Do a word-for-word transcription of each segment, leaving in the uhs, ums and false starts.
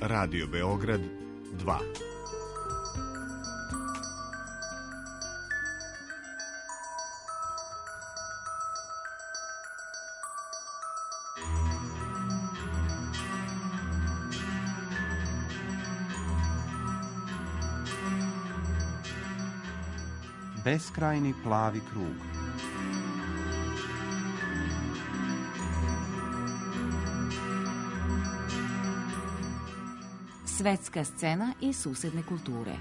Radio Beograd dva. Beskrajni plavi krug. Svetska scena i susedne kulture.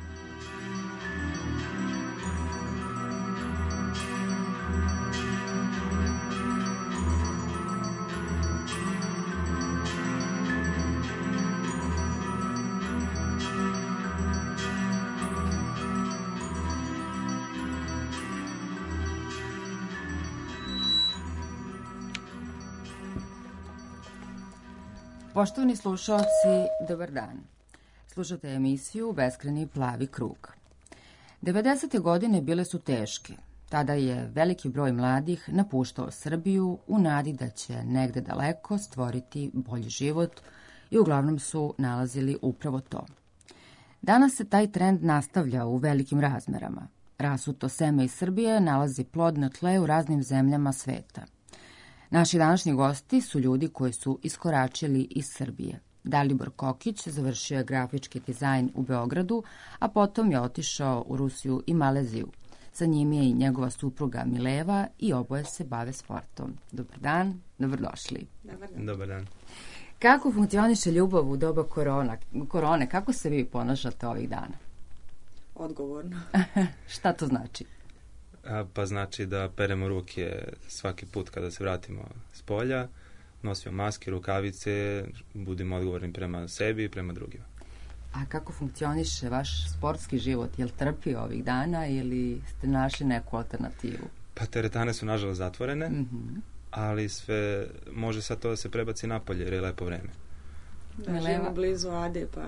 Poštovani slušalci, dobar dan. Slušate emisiju Beskrajni plavi krug. devedesete godine bile su teške. Tada je veliki broj mladih napuštao Srbiju u nadi da će negde daleko stvoriti bolji život i uglavnom su nalazili upravo to. Danas se taj trend nastavlja u velikim razmerama. Rasuto seme iz Srbije nalazi plod na tle u raznim zemljama sveta. Naši današnji gosti su ljudi koji su iskoračili iz Srbije. Dalibor Kokić završio je grafički dizajn u Beogradu, a potom je otišao u Rusiju i Maleziju. Sa njim je i njegova supruga Mileva i oboje se bave sportom. Dobar dan, dobrodošli. Dobar dan. Dobar dan. Kako funkcioniše ljubav u doba korona, korone? Kako se vi ponašate ovih dana? Odgovorno. Šta to znači? A, pa znači da peremo ruke svaki put kada se vratimo s polja, nosimo maske, rukavice, budemo odgovorni prema sebi i prema drugima. A kako funkcioniše vaš sportski život? Jel trpi ovih dana ili ste našli neku alternativu? Pa teretane su nažalost zatvorene, Mm-hmm. ali sve može sad to da se prebaci napolje jer je lepo vreme. Da, Mileva. živimo blizu Ade, pa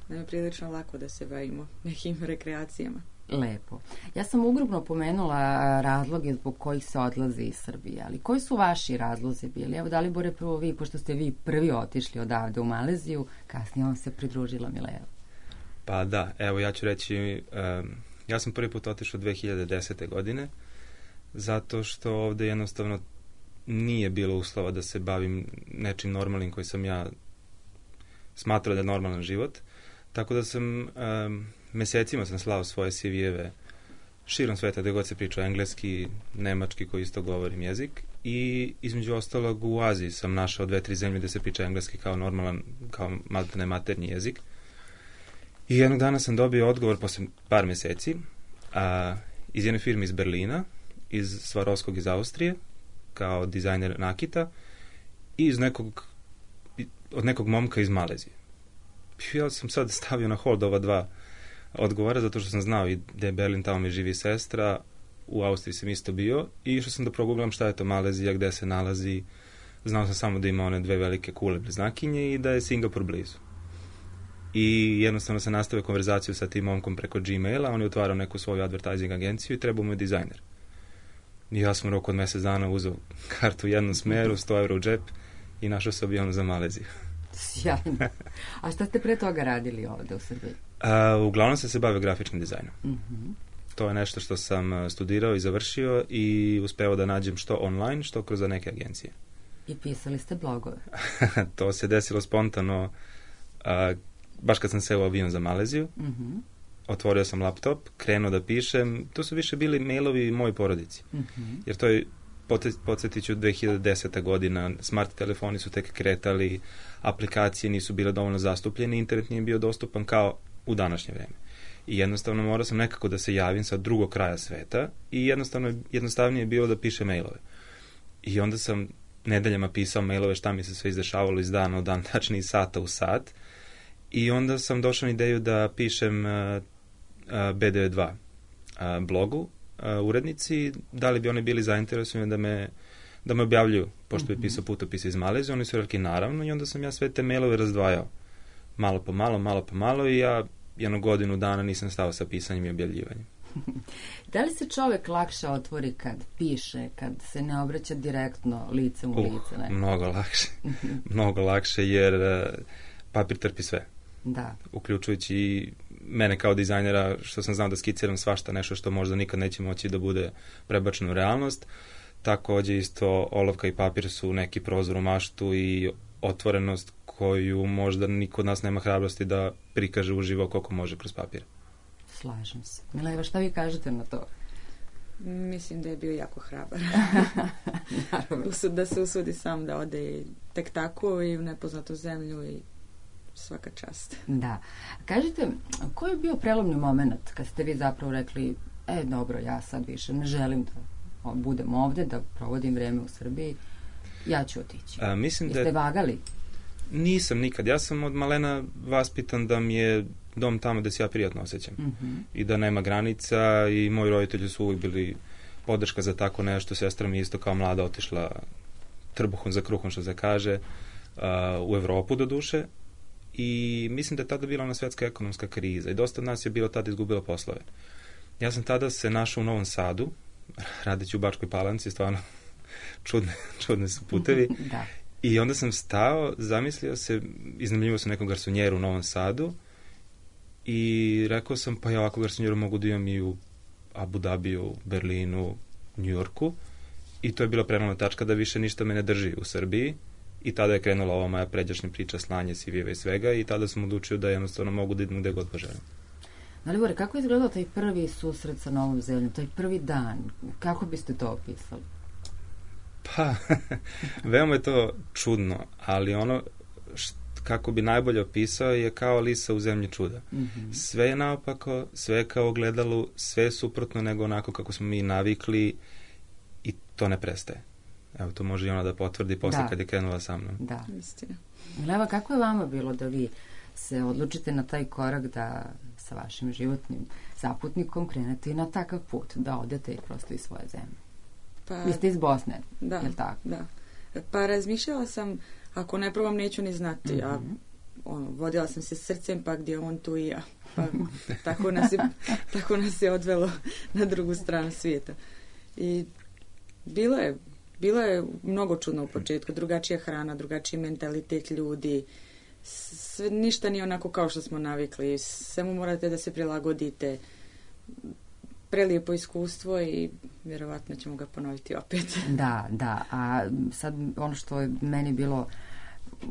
nam je prilično lako da se bavimo nekim rekreacijama. Lepo. Ja sam ugrubno pomenula razloge zbog kojih se odlazi iz Srbije, ali koji su vaši razlozi bili? Evo, Dalibore, prvo vi, pošto ste vi prvi otišli odavde u Maleziju, kasnije vam se pridružila Mileva. Pa da, evo ja ću reći, um, ja sam prvi put otišao dve hiljade desete. godine, zato što ovde jednostavno nije bilo uslova da se bavim nečim normalnim koji sam ja smatrao da je normalan život, tako da sam... Um, mesecima sam slao svoje C V-eve širom sveta gde god se priča engleski, nemački koji isto govorim jezik i između ostalog u Aziji sam našao dve, tri zemlje gde se priča engleski kao normalan, kao maltene maternji jezik. I jednog dana sam dobio odgovor posle par meseci a, iz jedne firme iz Berlina, iz Svarovskog iz Austrije, kao dizajner nakita i iz nekog, od nekog momka iz Malezije. Ja sam sad stavio na hold ova dva odgovara, zato što sam znao i da je Berlin, tamo mi živi sestra, u Austriji sam isto bio i išao sam da proguglam šta je to Malezija, gde se nalazi. Znao sam samo da ima one dve velike kule bliznakinje i da je Singapur blizu. I jednostavno sam nastavio konverzaciju sa tim momkom preko Gmaila, on je otvarao neku svoju advertising agenciju i trebao mu je dizajner. I ja sam u roku od mesec dana uzeo kartu u jednom smeru, sto eura u džep i našao se avion za Maleziju. Sjajno. A šta ste pre toga radili ovde u Srbiji? Uh, uglavnom sam se bavio grafičkim dizajnom. Mm-hmm. To je nešto što sam studirao i završio i uspeo da nađem što online, što kroz neke agencije. I pisali ste blogove? To se desilo spontano, uh, baš kad sam seo u avion za Maleziju. Mm-hmm. Otvorio sam laptop, krenuo da pišem. To su više bili mailovi mojoj porodici. Mm-hmm. Jer to je, podsjetit ću, dve hiljade deseta. godina, smart telefoni su tek kretali, aplikacije nisu bile dovoljno zastupljene, internet nije bio dostupan kao u današnje vreme. I jednostavno morao sam nekako da se javim sa drugog kraja sveta i jednostavno jednostavnije je bilo da pišem mailove. I onda sam nedeljama pisao mailove šta mi se sve izdešavalo iz dana u dan, tačnije iz sata u sat. I onda sam došao na ideju da pišem uh, uh, B D dva uh, blogu, uh, urednici, da li bi oni bili zainteresovani da me, da me objavljuju, pošto bi pisao putopise iz Malezije, oni su rekli naravno i onda sam ja sve te mailove razdvajao. Malo po malo, malo po malo i ja jednu godinu dana nisam stao sa pisanjem i objavljivanjem. Da li se čovek lakše otvori kad piše, kad se ne obraća direktno licem u uh, lice? Ne? Mnogo lakše. Mnogo lakše jer uh, papir trpi sve. Da. Uključujući i mene kao dizajnera, što sam znao da skiciram svašta, nešto što možda nikad neće moći da bude prebačeno u realnost. Takođe isto olovka i papir su neki prozor u maštu i otvorenost koju možda niko od nas nema hrabrosti da prikaže uživo koliko može kroz papir. Slažem se. Mileva, šta vi kažete na to? Mislim da je bio jako hrabar. Da se usudi sam da ode tek tako i u nepoznatu zemlju i svaka čast. Da. Kažite, koji je bio prelomni moment kad ste vi zapravo rekli, e, dobro, ja sad više ne želim da budem ovde, da provodim vreme u Srbiji, ja ću otići. A, mislim Jeste da... vagali? Nisam nikad. Ja sam od malena vaspitan da mi je dom tamo gde se ja prijatno osjećam. Mm-hmm. I da nema granica i moji roditelji su uvijek bili podrška za tako nešto. Sestra mi isto kao mlada otišla trbuhom za kruhom, što se kaže, uh, u Evropu do duše. I mislim da je tada bila ona svetska ekonomska kriza i dosta od nas je bilo tada izgubilo poslove. Ja sam tada se našao u Novom Sadu, radeći u Bačkoj Palanci, stvarno čudne, čudne su putevi. Da. I onda sam stao, zamislio se, iznajmljivao sam nekom garsonjeru u Novom Sadu i rekao sam, pa ja ovako garsonjeru mogu da imam i u Abu Dhabiju, Berlinu, Njujorku. I to je bila prelomna tačka da više ništa me ne drži u Srbiji. I tada je krenula ova moja pređašnja priča, slanje C V-eva i svega i tada sam odlučio da jednostavno mogu da idem gde god poželim. Dalibore, kako je izgledao taj prvi susret sa novom zemljom, taj prvi dan? Kako biste to opisali? Pa, veoma je to čudno, ali ono št, kako bi najbolje opisao je kao Alisa u zemlji čuda. Mm-hmm. Sve je naopako, sve je kao ogledalu, sve je suprotno nego onako kako smo mi navikli i to ne prestaje. Evo, to može i ona da potvrdi posle da. Kad je krenula sa mnom. Da, istina. Mileva, kako je vama bilo da vi se odlučite na taj korak da sa vašim životnim zaputnikom krenete i na takav put, da odete i prosto iz svoje zemlje? Pa, vi ste iz Bosne, da, je li tako? Da. Pa razmišljala sam, ako ne probam neću ni znati, mm-hmm. a ono, vodila sam se srcem, pa gdje on tu i ja. Pa tako nas je, tako nas je odvelo na drugu stranu svijeta. I bilo je Bilo je mnogo čudno u početku, drugačija hrana, drugačiji mentalitet ljudi, sve, ništa nije onako kao što smo navikli, samo morate da se prilagodite, prelijepo iskustvo i vjerovatno ćemo ga ponoviti opet. Da, da, a sad ono što je meni bilo,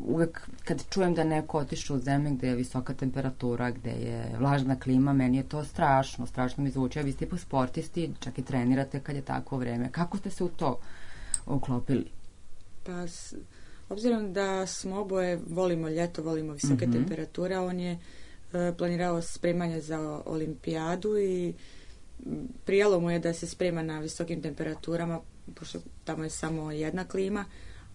uvek kad čujem da neko otišao u zemlju gde je visoka temperatura, gde je vlažna klima, meni je to strašno, strašno mi zvuči, a vi ste po sportisti, čak i trenirate kad je takvo vreme. Kako ste se u to uklopili? Pa, s, obzirom da smo oboje, volimo ljeto, volimo visoke mm-hmm. temperature, on je e, planirao spremanje za olimpijadu i prijalo mu je da se sprema na visokim temperaturama, pošto tamo je samo jedna klima,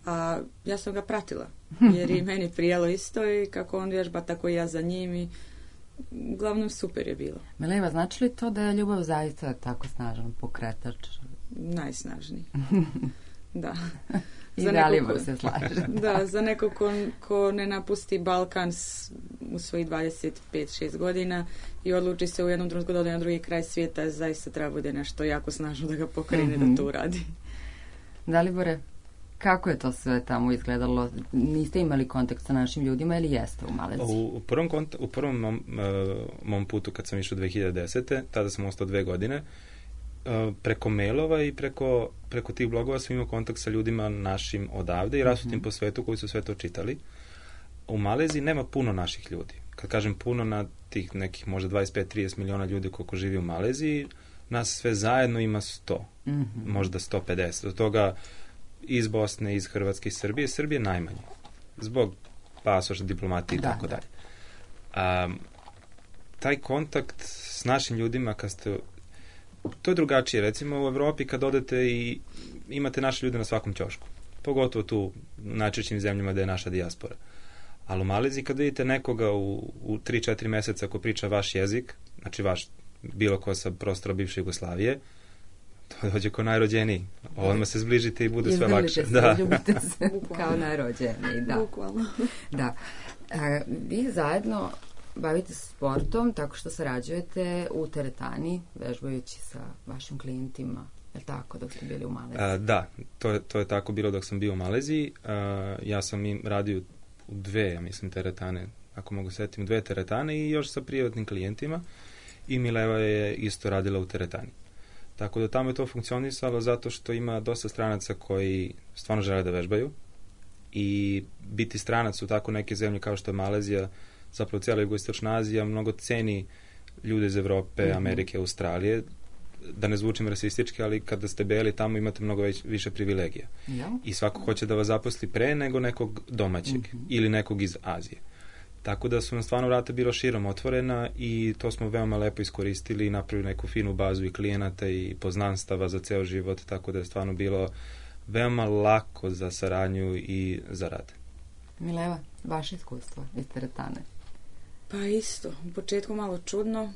a ja sam ga pratila, jer i meni prijalo isto i kako on vježba, tako i ja za njim i uglavnom super je bilo. Mileva, znači li to da je ljubav zaista tako snažan pokretač? Najsnažniji. Da. I Dalibor se slaže. Da, za neko ko, ko ne napusti Balkan s, u svojih dvadeset pet šest godina i odluči se u jednom trenutku da ode na drugi kraj svijeta, zaista treba bude nešto jako snažno da ga pokrene mm-hmm. da to uradi. Dalibore, kako je to sve tamo izgledalo? Niste imali kontakt sa našim ljudima ili jeste u Maleziji? U, u prvom, kont- u prvom mom, uh, mom putu kad sam išao dve hiljade desete. tada sam ostao dve godine, preko mailova i preko, preko tih blogova sam imao kontakt sa ljudima našim odavde i rasutim mm-hmm. po svetu koji su sve to čitali. U Maleziji nema puno naših ljudi. Kad kažem puno, na tih nekih možda dvadeset pet do trideset miliona ljudi koliko živi u Maleziji, nas sve zajedno ima sto. Mm-hmm. Možda sto pedeset. Od toga iz Bosne, iz Hrvatske, iz Srbije. Srbije najmanje. Zbog pasoša, diplomatije i da, tako da. dalje. Um, taj kontakt s našim ljudima, kad ste to je drugačije. Recimo u Evropi kad odete i imate naše ljude na svakom ćošku. Pogotovo tu u najčešćim zemljama gde je naša dijaspora. Ali u Maleziji kad vidite nekoga u, u tri četiri meseca ko priča vaš jezik, znači vaš bilo ko sa prostora bivše Jugoslavije, to dođe ko najrođeniji. Odmah se zbližite i bude sve lakše. Se, da. Ljubite se kao najrođeniji. Da. Bukvalno. Da. E, vi zajedno bavite se sportom tako što sarađujete u teretani, vežbajući sa vašim klijentima, je li tako, dok ste bili u Maleziji? A, da, to je, to je tako bilo dok sam bio u Maleziji. A, ja sam im radio u dve, ja mislim, teretane ako mogu setim, dve teretane i još sa privatnim klijentima i Mileva je isto radila u teretani. Tako da tamo je to funkcionisalo zato što ima dosta stranaca koji stvarno žele da vežbaju i biti stranac u tako neke zemlje kao što je Malezija, zapravo cijela jugoistočna Azija, mnogo ceni ljude iz Evrope, mm-hmm. Amerike, Australije, da ne zvučim rasistički, ali kada ste beli tamo imate mnogo već, više privilegija. Ja. I svako hoće da vas zaposli pre nego nekog domaćeg mm-hmm. ili nekog iz Azije. Tako da su nam stvarno vrata bila širom otvorena i to smo veoma lepo iskoristili i napravili neku finu bazu i klijenata i poznanstava za ceo život, tako da je stvarno bilo veoma lako za saradnju i za rad. Mileva, vaše iskustvo iz teretane? Pa isto, u početku malo čudno,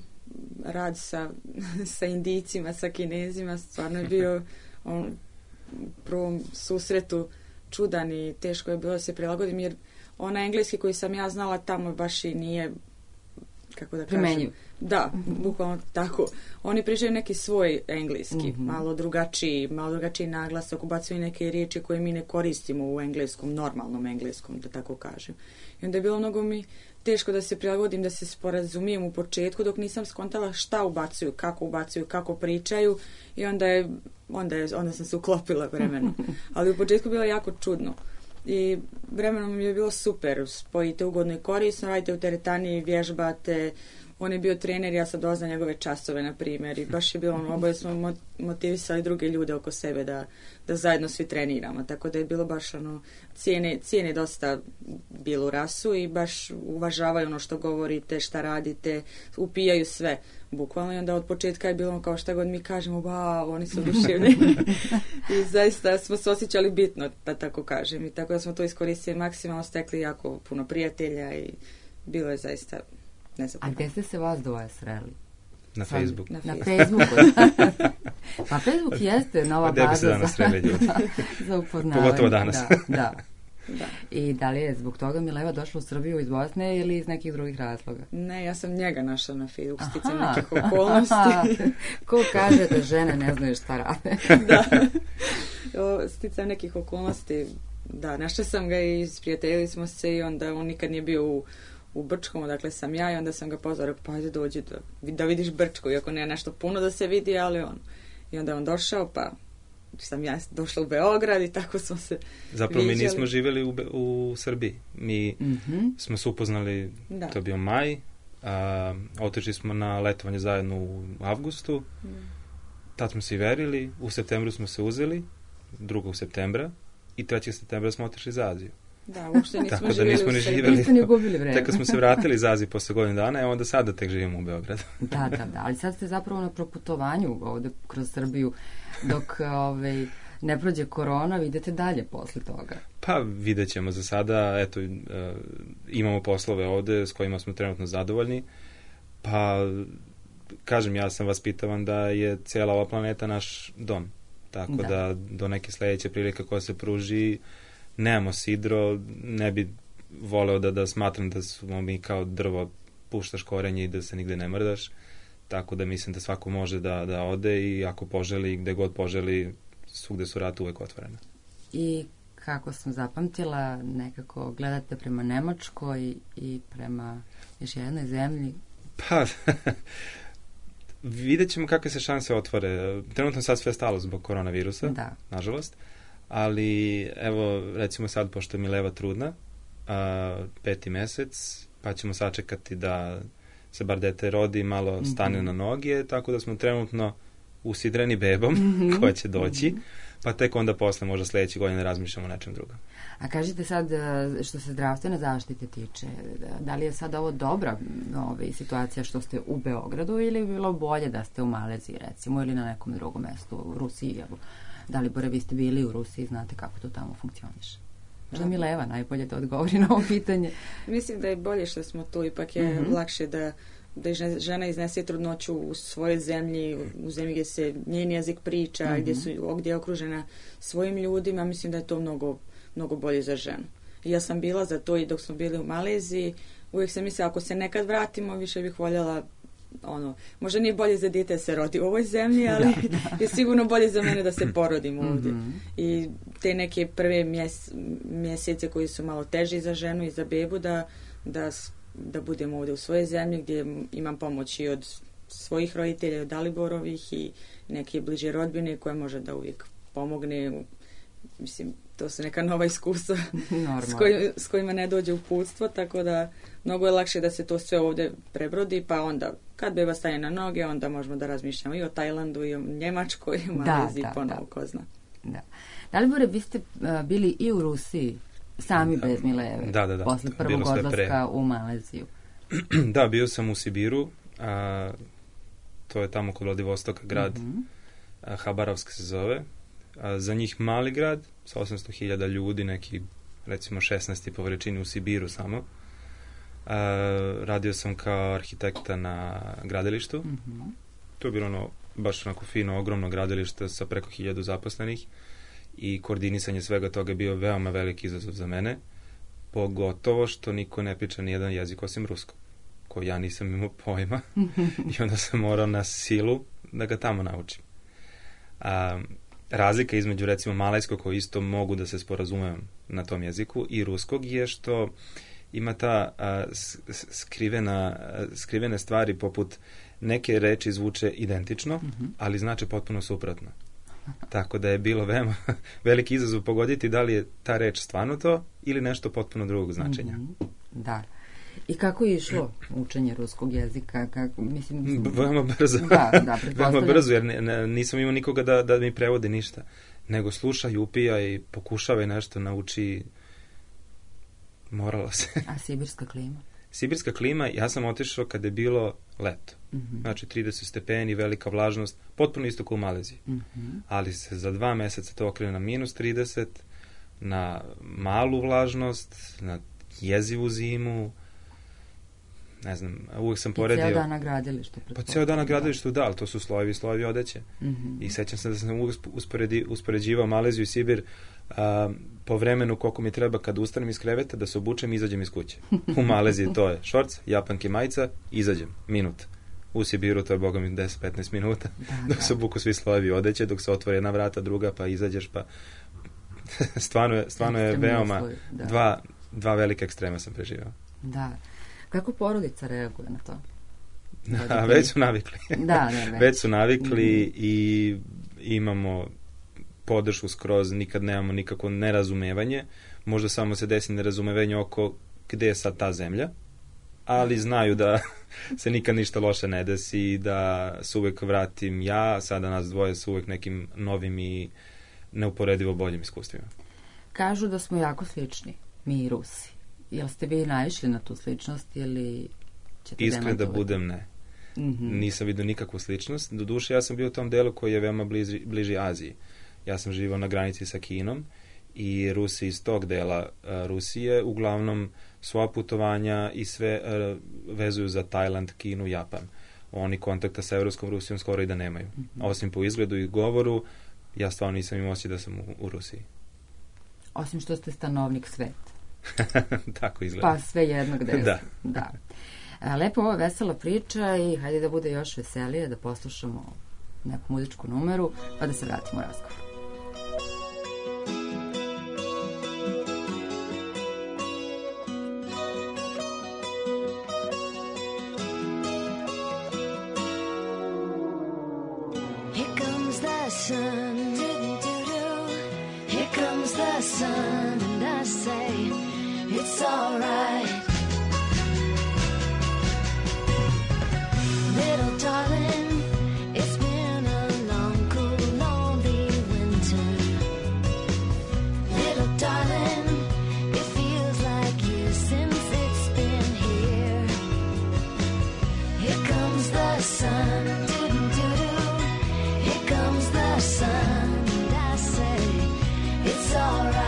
rad sa, sa Indijcima, sa Kinezima, stvarno je bio on, u prvom susretu čudan i teško je bilo da se prilagodim, jer ona engleski koji sam ja znala tamo baš i nije, kako da kažem, primenjiv. Da, bukvalno tako. Oni pričaju neki svoj engleski, mm-hmm. malo drugačiji, malo drugačiji naglasak, ubacuju neke riječi koje mi ne koristimo u engleskom, normalnom engleskom, da tako kažem. I onda je bilo mnogo mi teško da se prilagodim, da se sporazumijem u početku, dok nisam skontala šta ubacuju, kako ubacuju, kako pričaju i onda je, onda je, onda sam se uklopila vremenom. Ali u početku bilo jako čudno. I vremenom mi je bilo super, spojite ugodno i korisno, radite u teretani, vježbate, on je bio trener, ja sad doznam njegove časove, na primjer, i baš je bilo, ono, oboje smo motivisali druge ljude oko sebe da, da zajedno svi treniramo, tako da je bilo baš, ono, cijene, cijene dosta bilu rasu i baš uvažavaju ono što govorite, šta radite, upijaju sve, bukvalno, i onda od početka je bilo kao šta god mi kažemo, wow, oni su oduševljeni. I zaista smo se osjećali bitno, da tako kažem, i tako da smo to iskoristili maksimalno, stekli jako puno prijatelja i bilo je zaista. A gdje ste se vas dvoje sreli? Na Facebooku. Na, na Facebooku. Pa Facebook jeste nova baza. Gdje bi se danas sreli ljudi? Za upoznavanje. Pogotovo danas. Da, da. Da. I da li je zbog toga Mileva došla u Srbiju iz Bosne ili iz nekih drugih razloga? Ne, ja sam njega našla na Facebooku, sticam nekih okolnosti. Ko kaže da žene ne znaju šta rade? Da. O, sticam nekih okolnosti. Da, našla sam ga i sprijateljili smo se i onda on nikad nije bio u u Brčkom, dakle sam ja i onda sam ga pozvao, pa ajde dođi da, da vidiš Brčko, iako ne nešto puno da se vidi, ali on. I onda on došao, pa sam ja došla u Beograd i tako smo se Zapravo viđali. Mi nismo živjeli u, u Srbiji. Mi mm-hmm. smo se upoznali, da. To je bio maj, a, otišli smo na letovanje zajedno u avgustu, mm. tad smo se i verili, u septembru smo se uzeli, drugog septembra i trećeg septembra smo otišli za Aziju. Da, uopšte nismo tako živjeli da nismo u ni Srbiji. živjeli. Niste ni gubili vreme. Tek kad smo se vratili iz Azije posle godinu dana, a onda sada tek živimo u Beogradu. Da, da, da, ali sad ste zapravo na proputovanju ovde kroz Srbiju, dok ovaj, ne prođe korona, vidite dalje posle toga. Pa vidjet ćemo za sada, eto, uh, imamo poslove ovde s kojima smo trenutno zadovoljni, pa kažem, ja sam vaspitavan da je cijela ova planeta naš dom, tako da, da do neke sledeće prilike koja se pruži nemamo sidro, ne bi voleo da, da smatram da smo mi kao drvo, puštaš korenje i da se nigde ne mrdaš, tako da mislim da svako može da, da ode i ako poželi, gde god poželi, svugde su vrata uvek otvorena. I kako sam zapamtila, nekako gledate prema Nemačkoj i prema još jednoj zemlji? Pa, vidjet ćemo kakve se šanse otvore. Trenutno sad sve stalo zbog koronavirusa, da. Nažalost. Ali, evo, recimo sad, pošto je Mileva trudna, a, peti mesec, pa ćemo sačekati da se bar dete rodi, malo stane mm-hmm. na noge, tako da smo trenutno usidreni bebom, mm-hmm. koja će doći, mm-hmm. pa tek onda posle, možda sledeće godine, razmišljamo o nečem drugom. A kažite sad, što se zdravstvene zaštite tiče, da li je sad ovo dobra ovaj, situacija što ste u Beogradu ili bi bilo bolje da ste u Maleziji, recimo, ili na nekom drugom mestu, u Rusiji, evo? Da li, Bore, vi ste bili u Rusiji, znate kako to tamo funkcioniše? Možda Mileva najbolje to odgovori na ovo pitanje. Mislim da je bolje što smo tu, ipak je mm-hmm. lakše da, da žena iznese trudnoću u svojoj zemlji, u zemlji gdje se njen jezik priča, mm-hmm. gdje, su, gdje je okružena svojim ljudima, mislim da je to mnogo, mnogo bolje za ženu. I ja sam bila za to i dok smo bili u Maleziji, uvijek sam mislila, ako se nekad vratimo, više bih voljela ono, možda nije bolje za dijete da se rodi u ovoj zemlji, ali da, da. Je sigurno bolje za mene da se porodim ovdje. Mm-hmm. I te neke prve mjes, mjesece koji su malo teži za ženu i za bebu, da, da da budem ovdje u svojoj zemlji gdje imam pomoć i od svojih roditelja, od Daliborovih i neke bliže rodbine koje može da uvijek pomogne. Mislim, to su neka nova iskustva s, koj, s kojima ne dođe uputstvo, tako da mnogo je lakše da se to sve ovdje prebrodi, pa onda kad beba stane na noge, onda možemo da razmišljamo i o Tajlandu, i o Njemačkoj, i o Maleziji, ponovo ko zna. Da. Dalibore, vi ste uh, bili i u Rusiji, sami da. bez Mileve, da, da, da. posle prvog odlaska u Maleziju. Da, bio sam u Sibiru, a, to je tamo kod Vladivostoka grad, mm-hmm. a, Habarovsk se zove. A, za njih mali grad, sa osamsto hiljada ljudi, neki recimo šesnaest po veličini u Sibiru samo. A, radio sam kao arhitekta na gradilištu. Mm-hmm. To je bilo ono, baš onako fino, ogromno gradilište sa preko hiljadu zaposlenih i koordinisanje svega toga je bio veoma veliki izazov za mene, pogotovo što niko ne priča ni jedan jezik osim ruskog, koji ja nisam imao pojma i onda sam morao na silu da ga tamo naučim. A, razlika između recimo malajskog, koji isto mogu da se sporazumem na tom jeziku, i ruskog je što ima ta a, skrivena, a, skrivene stvari poput neke reči zvuče identično, mm-hmm. ali znače potpuno suprotno. Tako da je bilo veoma veliki izazov pogoditi da li je ta reč stvarno to ili nešto potpuno drugog značenja. Mm-hmm. Da. I kako je išlo učenje ruskog jezika? Kako, mislim, mislim... Veoma brzo. Da, da, veoma brzo, jer ne, ne, nisam imao nikoga da, da mi prevodi ništa. Nego sluša i upija i pokušava i nešto nauči. Moralo se. A sibirska klima? Sibirska klima, ja sam otišao kada je bilo leto. Mm-hmm. Znači trideset stepeni, velika vlažnost, potpuno isto kao u Maleziji. Mm-hmm. Ali se za dva meseca to okrene na minus trideset, na malu vlažnost, na jezivu zimu, ne znam, uvijek sam poredio... I cijel dan na gradilištu. Pa cijel dan na gradilištu, da, ali to su slojevi i slojevi odeće. Mm-hmm. I sećam se da sam uvijek usporedi, uspoređivao Maleziju i Sibir a, po vremenu koliko mi treba kad ustanem iz kreveta da se obučem i izađem iz kuće. U Maleziji to je šorc, japanke, majica, izađem, minut. U Sibiru to je, boga mi, deset do petnaest minuta, da, dok da. se obuku svi slojevi odeće, dok se otvore jedna vrata, druga, pa izađeš, pa stvarno je, stvarno je veoma, da. dva, dva velike ekstrema sam preživao. Da. Kako porodica reaguje na to? Da, već su navikli. Da, ne, već. već su navikli mm-hmm. i imamo podršku skroz, nikad nemamo nikako nerazumevanje. Možda samo se desi nerazumevanje oko gde je sad ta zemlja, ali znaju da se nikad ništa loše ne desi, da se uvek vratim ja, sada nas dvoje su uvek nekim novim i neuporedivo boljim iskustvima. Kažu da smo jako slični, mi i Rusi. Jel ste vi naišli na tu sličnost ili ćete Iskren da budem, ne. Mm-hmm. Nisam vidio nikakvu sličnost. Doduše, ja sam bio u tom delu koji je veoma bliži, bliži Aziji. Ja sam živao na granici sa Kinom i Rusi iz tog dela uh, Rusije uglavnom svoja putovanja i sve uh, vezuju za Tajland, Kinu, Japan. Oni kontakta sa Evropskom Rusijom skoro i da nemaju. Mm-hmm. Osim po izgledu i govoru, ja stvarno nisam imao osjećaj da sam u, u Rusiji. Osim što ste stanovnik sveta. Tako izgleda. Pa sve jedno gde da. da. A, lepo, ovo je vesela priča i hajde da bude još veselije, da poslušamo neku muzičku numeru, pa da se vratimo u razgovor. Here comes the sun, here comes the sun, and I say it's all right. Little darling, it's been a long, cool, lonely winter. Little darling, it feels like years since it's been here. Here comes the sun, doo-doo-doo-doo. Here comes the sun, and I say it's all right.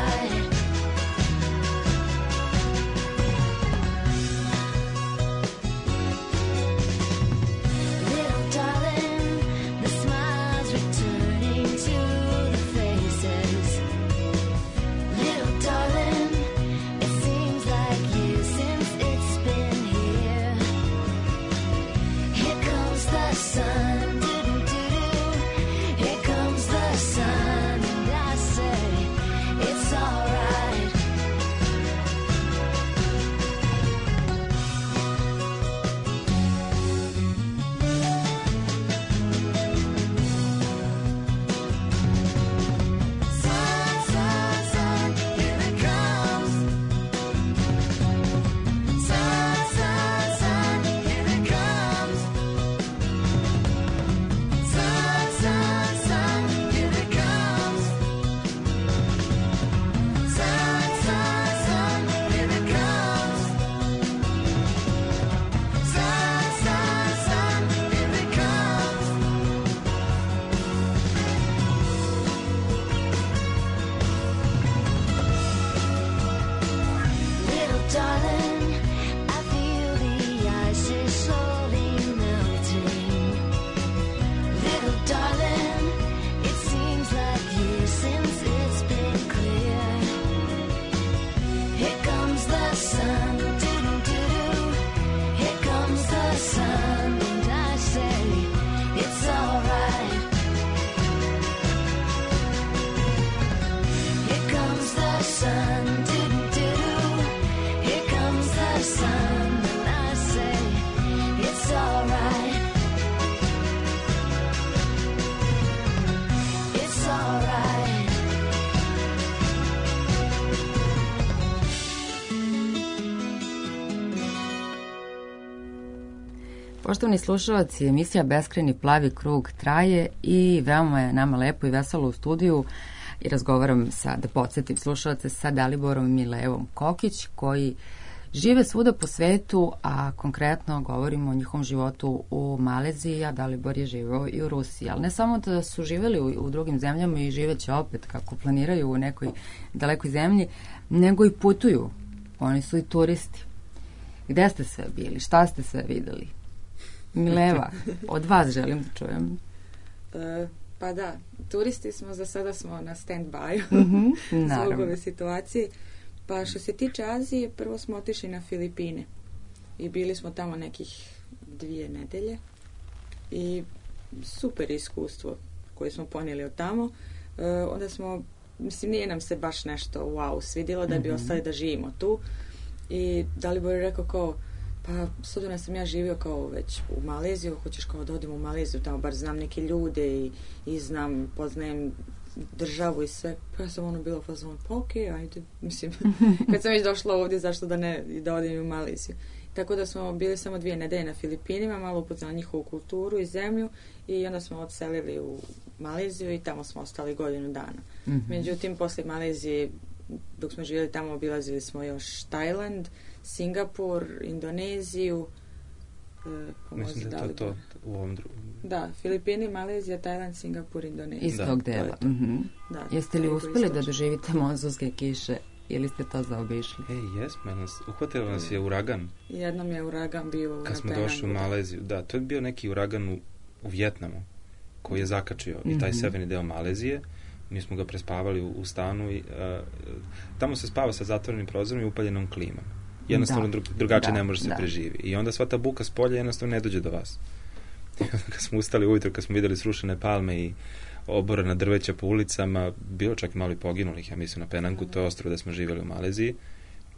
Poštovani slušalci, emisija Beskrajni plavi krug traje i veoma je nama lepo i veselo u studiju i razgovaram sa, da podsjetim slušalce, sa Daliborom Milevom Kokić, koji žive svuda po svetu, a konkretno govorimo o njihovom životu u Maleziji, a Dalibor je živeo i u Rusiji. Ali ne samo da su živeli u, u drugim zemljama i živeće opet kako planiraju u nekoj dalekoj zemlji, nego i putuju. Oni su i turisti. Gde ste sve bili? Šta ste sve videli? Mileva, od vas želim da čujem. E, pa da, turisti smo, za sada smo na stand-by Mm-hmm, zbog ove situacije. Pa što se tiče Azije, prvo smo otišli na Filipine i bili smo tamo nekih dvije nedelje i super iskustvo koje smo ponijeli od tamo. E, onda smo, mislim, nije nam se baš nešto wow svidjelo da bi Mhm. ostali da živimo tu i Dalibor je rekao kao, pa s obzirom da sam ja živio kao već u Maleziju, hoćeš kao da odem u Maleziju, tamo bar znam neke ljude i, i znam, poznajem državu i sve. Pa ja sam ono bila fazon, pa okej, okay, ajde, mislim, kad sam već došla ovdje, zašto da ne, da odem u Maleziju. Tako da smo bili samo dvije nedelje na Filipinima, malo upoznali njihovu kulturu i zemlju i onda smo odselili u Maleziju i tamo smo ostali godinu dana. Mm-hmm. Međutim, poslije Malezije, dok smo živjeli tamo, obilazili smo još Tajland, Singapur, Indoneziju. E, pomozi Mislim da je to Dalibor. to u ovom drugom. Da, Filipini, Malezija, Tajland, Singapur, Indonezija. Iz Da, tog to je dela. to. Mhm. Da, Jeste li toliko uspeli da istočno. doživite monzunske kiše ili ste to zaobišli? Ej, jesmo, nas, uhvatilo nas je uragan Jednom je uragan bio kad na smo Penangu, došli u da. Maleziju. Da, to je bio neki uragan u, u Vjetnamu koji je zakačio i taj Mhm. severni deo Malezije. Mi smo ga prespavali u, u stanu i uh, tamo se spava sa zatvorenim prozorom i upaljenom klimom. Jednostavno Da. dru, drugačije Da, ne može se da. preživi. I onda sva ta buka s polja jednostavno ne dođe do vas. I onda kad smo ustali ujutro, kad smo vidjeli srušene palme i oborena drveća po ulicama, bilo čak i malo i poginulih, ja mislim, na Penangu, to je ostrvo da smo živjeli u Maleziji.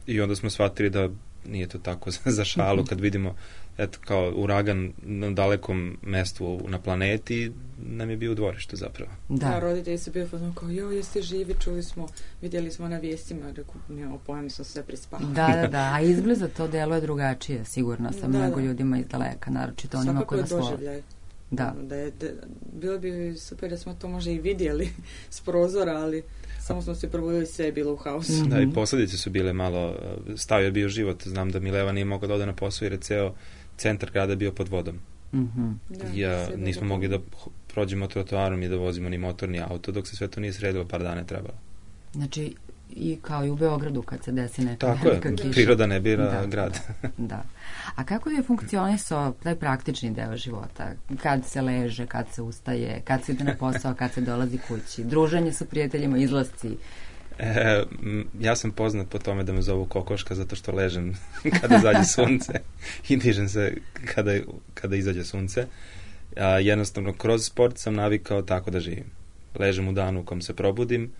I onda smo shvatili da nije to tako za, za šalu kad vidimo, eto, kao uragan na dalekom mestu na planeti, nam je bio u dvorištu zapravo. Da, Da. roditelji su bili fazon kao, jo, jeste živi, čuli smo, vidjeli smo na vijestima, rekao, nemamo pojma, mi smo sve prespavali. Da, da, da, a izbliza to deluje drugačije, sigurno sam Da, mnogo da. ljudima iz daleka, naročito onima Svakako koji je vas vole. doživljaj. Da. Da je, da, bilo bi super da smo to možda i vidjeli s prozora, ali samo smo se probudili, sve je bilo u haosu. Mhm. Da, i posljedice su bile malo, stavio je bio život, znam da Mileva nije mogao da ode na posao jer je ceo centar grada bio pod vodom. Mhm. Da, Ja, sve je nismo bilo mogli da dobro. h- prođemo trotoarom i da vozimo ni motorni auto, dok se sve to nije sredilo, par dana je trebalo. Znači, i kao i u Beogradu kad se desi neka Tako je, velika kiša. priroda ne bira Da, grad. Da. A kako je funkcionisao taj praktični deo života? Kad se leže, kad se ustaje, kad se ide na posao, kad se dolazi kući, druženje sa prijateljima, izlasci. E, m, ja sam poznat po tome da me zovu kokoška zato što ležem kada zađe sunce i dižem se kada, kada izađe sunce. A, jednostavno, kroz sport sam navikao tako da živim. Ležem u danu u kom se probudim,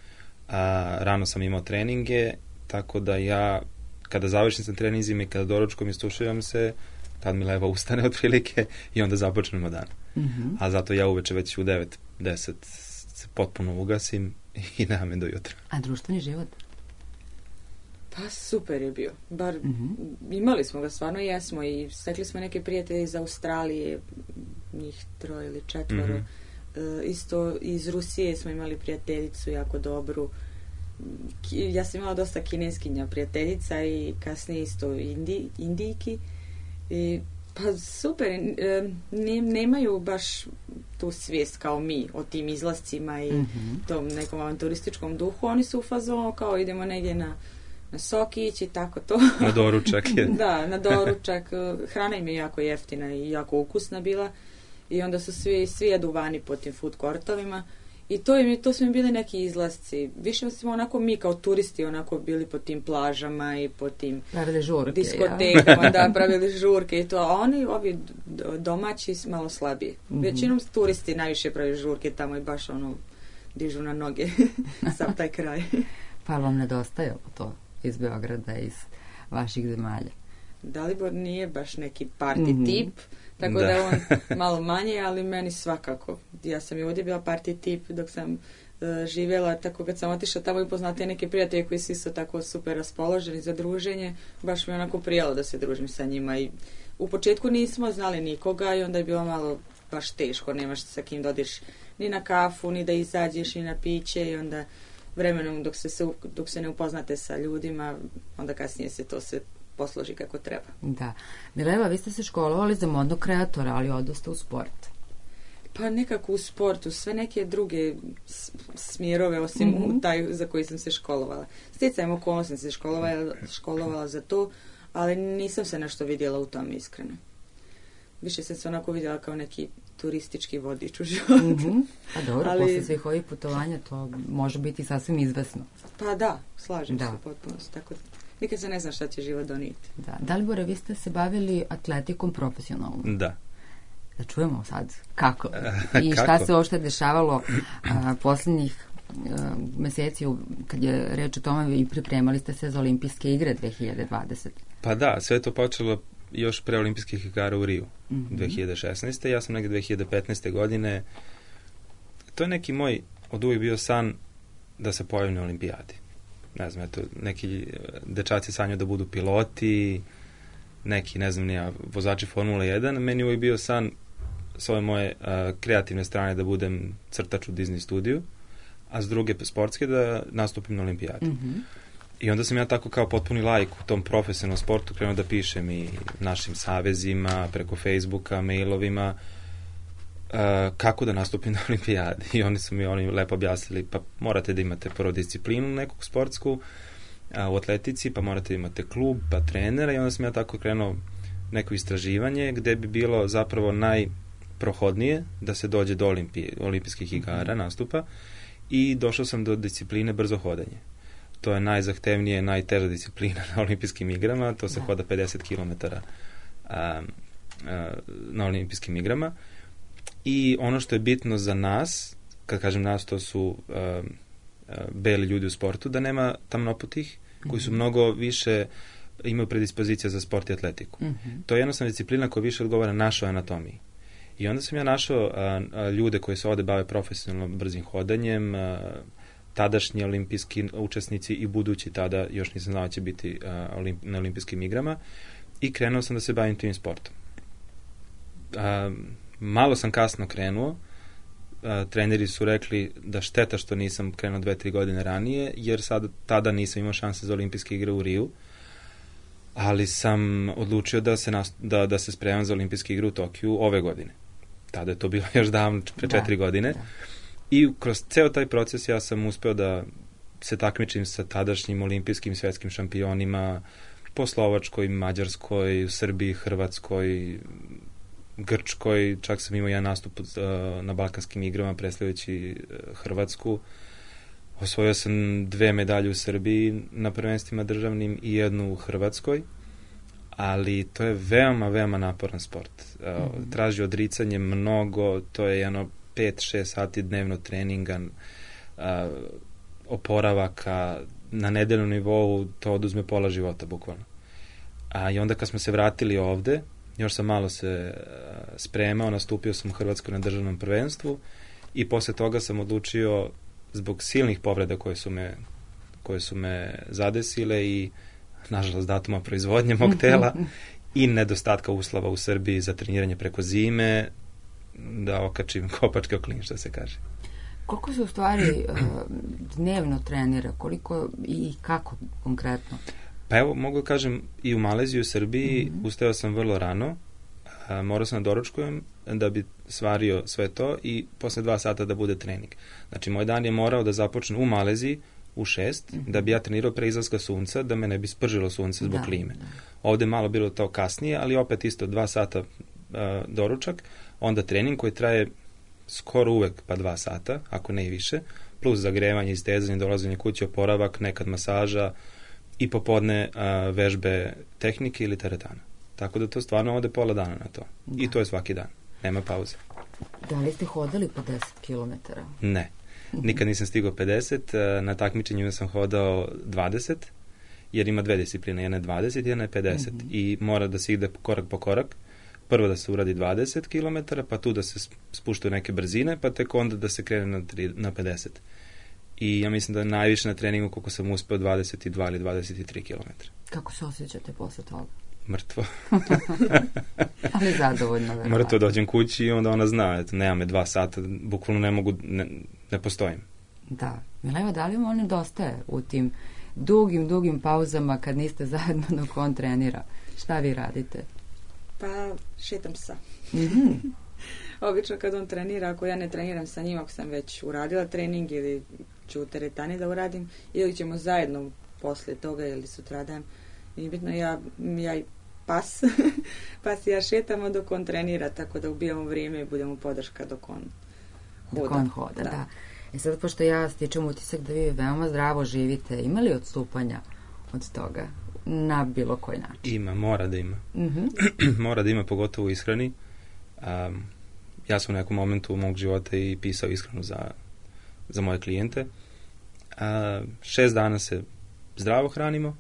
a, rano sam imao treninge, tako da ja, kada završim sa treninzima i kada doručkom istuširam se, tad mi Leva ustane otprilike i onda započnemo dan. Mhm. A zato ja uveče već u devet deset se potpuno ugasim i nema me do jutra. A društveni život? Pa super je bio. Bar Mhm. imali smo ga, stvarno jesmo i stekli smo neke prijatelje iz Australije, njih troje ili četvoro. Mhm. E, isto iz Rusije smo imali prijateljicu jako dobru. Ki- Ja sam imala dosta kineskinja prijateljica i kasnije isto indi, indijki. I, pa super, e, ne, nemaju baš tu svijest kao mi o tim izlascima i Mhm. tom nekom avanturističkom duhu. Oni su u fazonu kao idemo negdje na, na sokić i tako to. Na doručak je. Da, na doručak. Hrana im je jako jeftina i jako ukusna bila. I onda su svi, svi jedu vani po tim food courtovima. I to, im, je- to su im bili neki izlasci. Više smo onako mi kao turisti onako bili po tim plažama i po tim Pravili žurke. ja? diskotekama, da, pravili žurke i to. A oni, ovi d- domaći, s- malo slabiji. Mhm. Većinom turisti najviše pravi žurke tamo i baš ono dižu na noge sam taj kraj. Pa vam nedostajalo to iz Beograda, iz vaših zemalja? Dalibor nije baš neki party Mhm. tip, tako Da. da je on malo manje, ali meni svakako. Ja sam i ovdje bila party tip dok sam e, živjela, tako kad sam otišla tamo i poznate neke prijatelje koji su isto tako super raspoloženi za druženje, baš mi onako prijalo da se družim sa njima i u početku nismo znali nikoga i onda je bilo malo baš teško, nemaš sa kim da odiš ni na kafu, ni da izađeš, ni na piće i onda vremenom dok se, se, dok se ne upoznate sa ljudima, onda kasnije se to se posloži kako treba. Da. Mileva, vi ste se školovali za modnog kreatora, ali odoste u sport. Pa nekako u sportu, sve neke druge smjerove osim mm-hmm. taj za koji sam se školovala. Stjecajem okolnosti sam se školovala, školovala za to, ali nisam se nešto vidjela u tom iskreno. Više sam se onako vidjela kao neki turistički vodič u životu. Mm-hmm. Pa dobro, ali posle svih ovih putovanja to može biti sasvim izvesno. Pa da, slažem da. se potpuno. Tako, nikad se ne zna šta će život donijeti. Da. Dalibore, vi ste se bavili atletikom profesionalno. Da. Da čujemo sad kako i šta kako? se uopšte dešavalo a, posljednjih a, meseci kad je reč o tome i pripremali ste se za olimpijske igre dve hiljade dvadesete. Pa da, sve to počelo još pre olimpijskih igara u Riju mm-hmm. dve hiljade šesnaeste. Ja sam negdje dve hiljade petnaeste. godine, to je neki moj od uvijek bio san da se pojavim na olimpijadi. Ne znam, eto, neki dečaci sanjaju da budu piloti, neki, ne znam, nija, vozači Formule jedan. Meni uvijek bio san s ove moje uh, kreativne strane da budem crtač u Disney studiju, a s druge sportske da nastupim na olimpijadi. Mm-hmm. I onda sam ja tako kao potpuni laik u tom profesionalnom sportu krenuo da pišem i našim savezima, preko Facebooka, mailovima, uh, kako da nastupim na olimpijadi. I oni su mi oni lepo objasnili, pa morate da imate prvo disciplinu nekog sportsku uh, u atletici, pa morate da imate klub, pa trenera i onda sam ja tako krenuo neko istraživanje gde bi bilo zapravo najprohodnije da se dođe do olimpije, olimpijskih igara, nastupa i došao sam do discipline brzo hodanje. To je najzahtevnije, najteža disciplina na olimpijskim igrama, to se da. hoda pedeset kilometara a, a, na olimpijskim igrama i ono što je bitno za nas, kad kažem nas, to su a, a, beli ljudi u sportu, da nema tamnoputih koji su mnogo više imaju predispozicija za sport i atletiku. Mm-hmm. To je jednostavna disciplina koja više odgovara našoj anatomiji. I onda sam ja našao a, a, ljude koji se ovde bave profesionalno brzim hodanjem, a, tadašnji olimpijski učesnici i budući tada, još nisam znao će biti a, olimp, na olimpijskim igrama i krenuo sam da se bavim tim sportom. A, malo sam kasno krenuo, a, treneri su rekli da šteta što nisam krenuo dve, tri godine ranije, jer sad, tada nisam imao šanse za olimpijske igre u Riju, ali sam odlučio da se, nas, da, da se spremam za olimpijske igre u Tokiju ove godine. Tada je to bilo još davno, pre da, četiri godine. Da. I kroz ceo taj proces ja sam uspeo da se takmičim sa tadašnjim olimpijskim svetskim šampionima po Slovačkoj, Mađarskoj, Srbiji, Hrvatskoj, Grčkoj. Čak sam imao jedan nastup uh, na Balkanskim igrama predstavljajući uh, Hrvatsku. Osvojio sam dve medalje u Srbiji na prvenstvima državnim i jednu u Hrvatskoj, ali to je veoma, veoma naporan sport. Uh, mm-hmm. Traži odricanje mnogo, to je jedno pet šest sati dnevno treninga, uh, oporavaka, na nedeljnom nivou to oduzme pola života, bukvalno. A i onda kad smo se vratili ovde, još sam malo se uh, spremao, nastupio sam u Hrvatskoj na državnom prvenstvu i posle toga sam odlučio zbog silnih povreda koje su me, koje su me zadesile i nažalost datuma proizvodnje mog tela i nedostatka uslova u Srbiji za treniranje preko zime, da okačim kopačke o klin, što se kaže. Koliko se u stvari uh, dnevno trenira? Koliko i kako konkretno? Pa evo, mogu da kažem, i u Maleziji i u Srbiji mm-hmm. ustao sam vrlo rano, a, morao sam da doručkujem da bi svario sve to i posle dva sata da bude trening. Znači, moj dan je morao da započne u Maleziji u šest, mm-hmm. da bi ja trenirao pre izlaska sunca, da me ne bi spržilo sunce zbog da, klime. Da. Ovde malo bilo to kasnije, ali opet isto dva sata a, doručak, onda trening koji traje skoro uvek pa dva sata, ako ne i više, plus zagrevanje, istezanje, dolazenje kući, oporavak, nekad masaža i popodne a, vežbe tehnike ili teretana. Tako da to stvarno ode pola dana na to. Da. I to je svaki dan. Nema pauze. Da li ste hodali pedeset kilometara? Ne. Nikad nisam stigao pedeset. Na takmičenjima sam hodao dvadeset, jer ima dve discipline. Jedna je dvadeset, jedna je pedeset. Mm-hmm. I mora da se ide korak po korak. Prvo da se uradi dvadeset kilometara, pa tu da se spuštaju neke brzine, pa tek onda da se krene na, tri, na pedeset. i ja mislim da najviše na treningu koliko sam uspeo dvadeset dva ili dvadeset tri kilometra. Kako se osjećate posle toga? Mrtvo. Ali zadovoljno, verovatno. Mrtvo dođem kući i onda ona zna, eto, nema me dva sata, bukvalno ne mogu, ne, ne postojim. Da. Mileva, da li vam nedostaje u tim dugim, dugim pauzama kad niste zajedno dok on trenira? Šta vi radite? Pa šetam psa. Mm-hmm. Obično kad on trenira, ako ja ne treniram sa njim, ako sam već uradila trening ili ću u teretani da uradim, ili ćemo zajedno posle toga ili sutradan. I bitno ja, ja i pas, pas i ja šetamo dok on trenira, tako da ubijamo vrijeme i budemo podrška dok on hoda. Dok on hoda, da. da. E sad, pošto ja stičem utisak da vi veoma zdravo živite, ima li odstupanja od toga na bilo koji način? Ima, mora da ima. Mm-hmm. Mora da ima, pogotovo u ishrani. Um, ja sam u nekom momentu mog života i pisao ishranu za, za moje klijente. Uh, šest dana se zdravo hranimo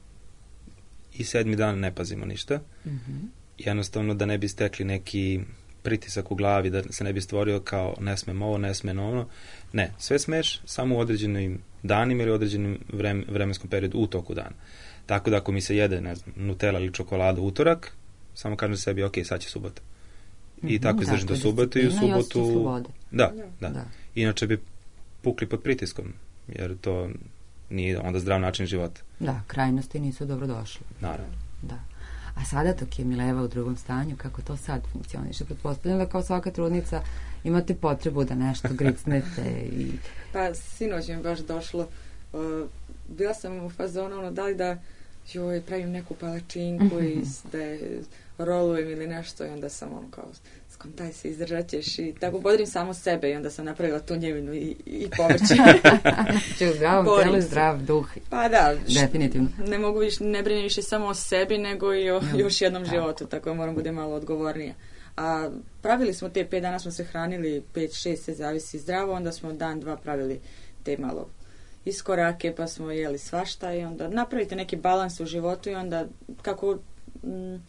i sedmi dan ne pazimo ništa. Mm-hmm. Jednostavno da ne bi stekli neki pritisak u glavi, da se ne bi stvorio kao ne smem ovo, ne smem ono. Ne, sve smeš samo u određenim danima ili određenim vrem, vremenskom periodu u toku dana. Tako da ako mi se jede, ne znam, Nutella ili čokolada utorak, samo kažem sebi, ok, sad će subota. I mm-hmm, tako izdržim do subote i u subotu... Da, da, da. Inače bi pukli pod pritiskom, jer to nije onda zdrav način života. Da, krajnosti nisu dobro došli. Naravno. Da. A sada dok je Mileva u drugom stanju, kako to sad funkcioniše? Pretpostavljam da kao svaka trudnica imate potrebu da nešto gricnete i... Pa sinoć mi baš došlo. Uh, bila sam u fazonu, ono, da li da joj, pravim neku palačinku i da je rolujem ili nešto i onda sam ono kao skontaj se, izdržat ćeš i tako bodrim samo sebe i onda sam napravila tu njevinu i, i povrće. Znači u zdravom telu zdrav duh. Pa da, definitivno. Ne mogu više, ne brinem više samo o sebi nego i o mm, još jednom tako. životu, tako da moram bude malo odgovornija. A pravili smo te pet dana, smo se hranili, pet, šest, se zavisi zdravo, onda smo dan, dva pravili te malo iskorake, pa smo jeli svašta i onda napravite neki balans u životu i onda kako m,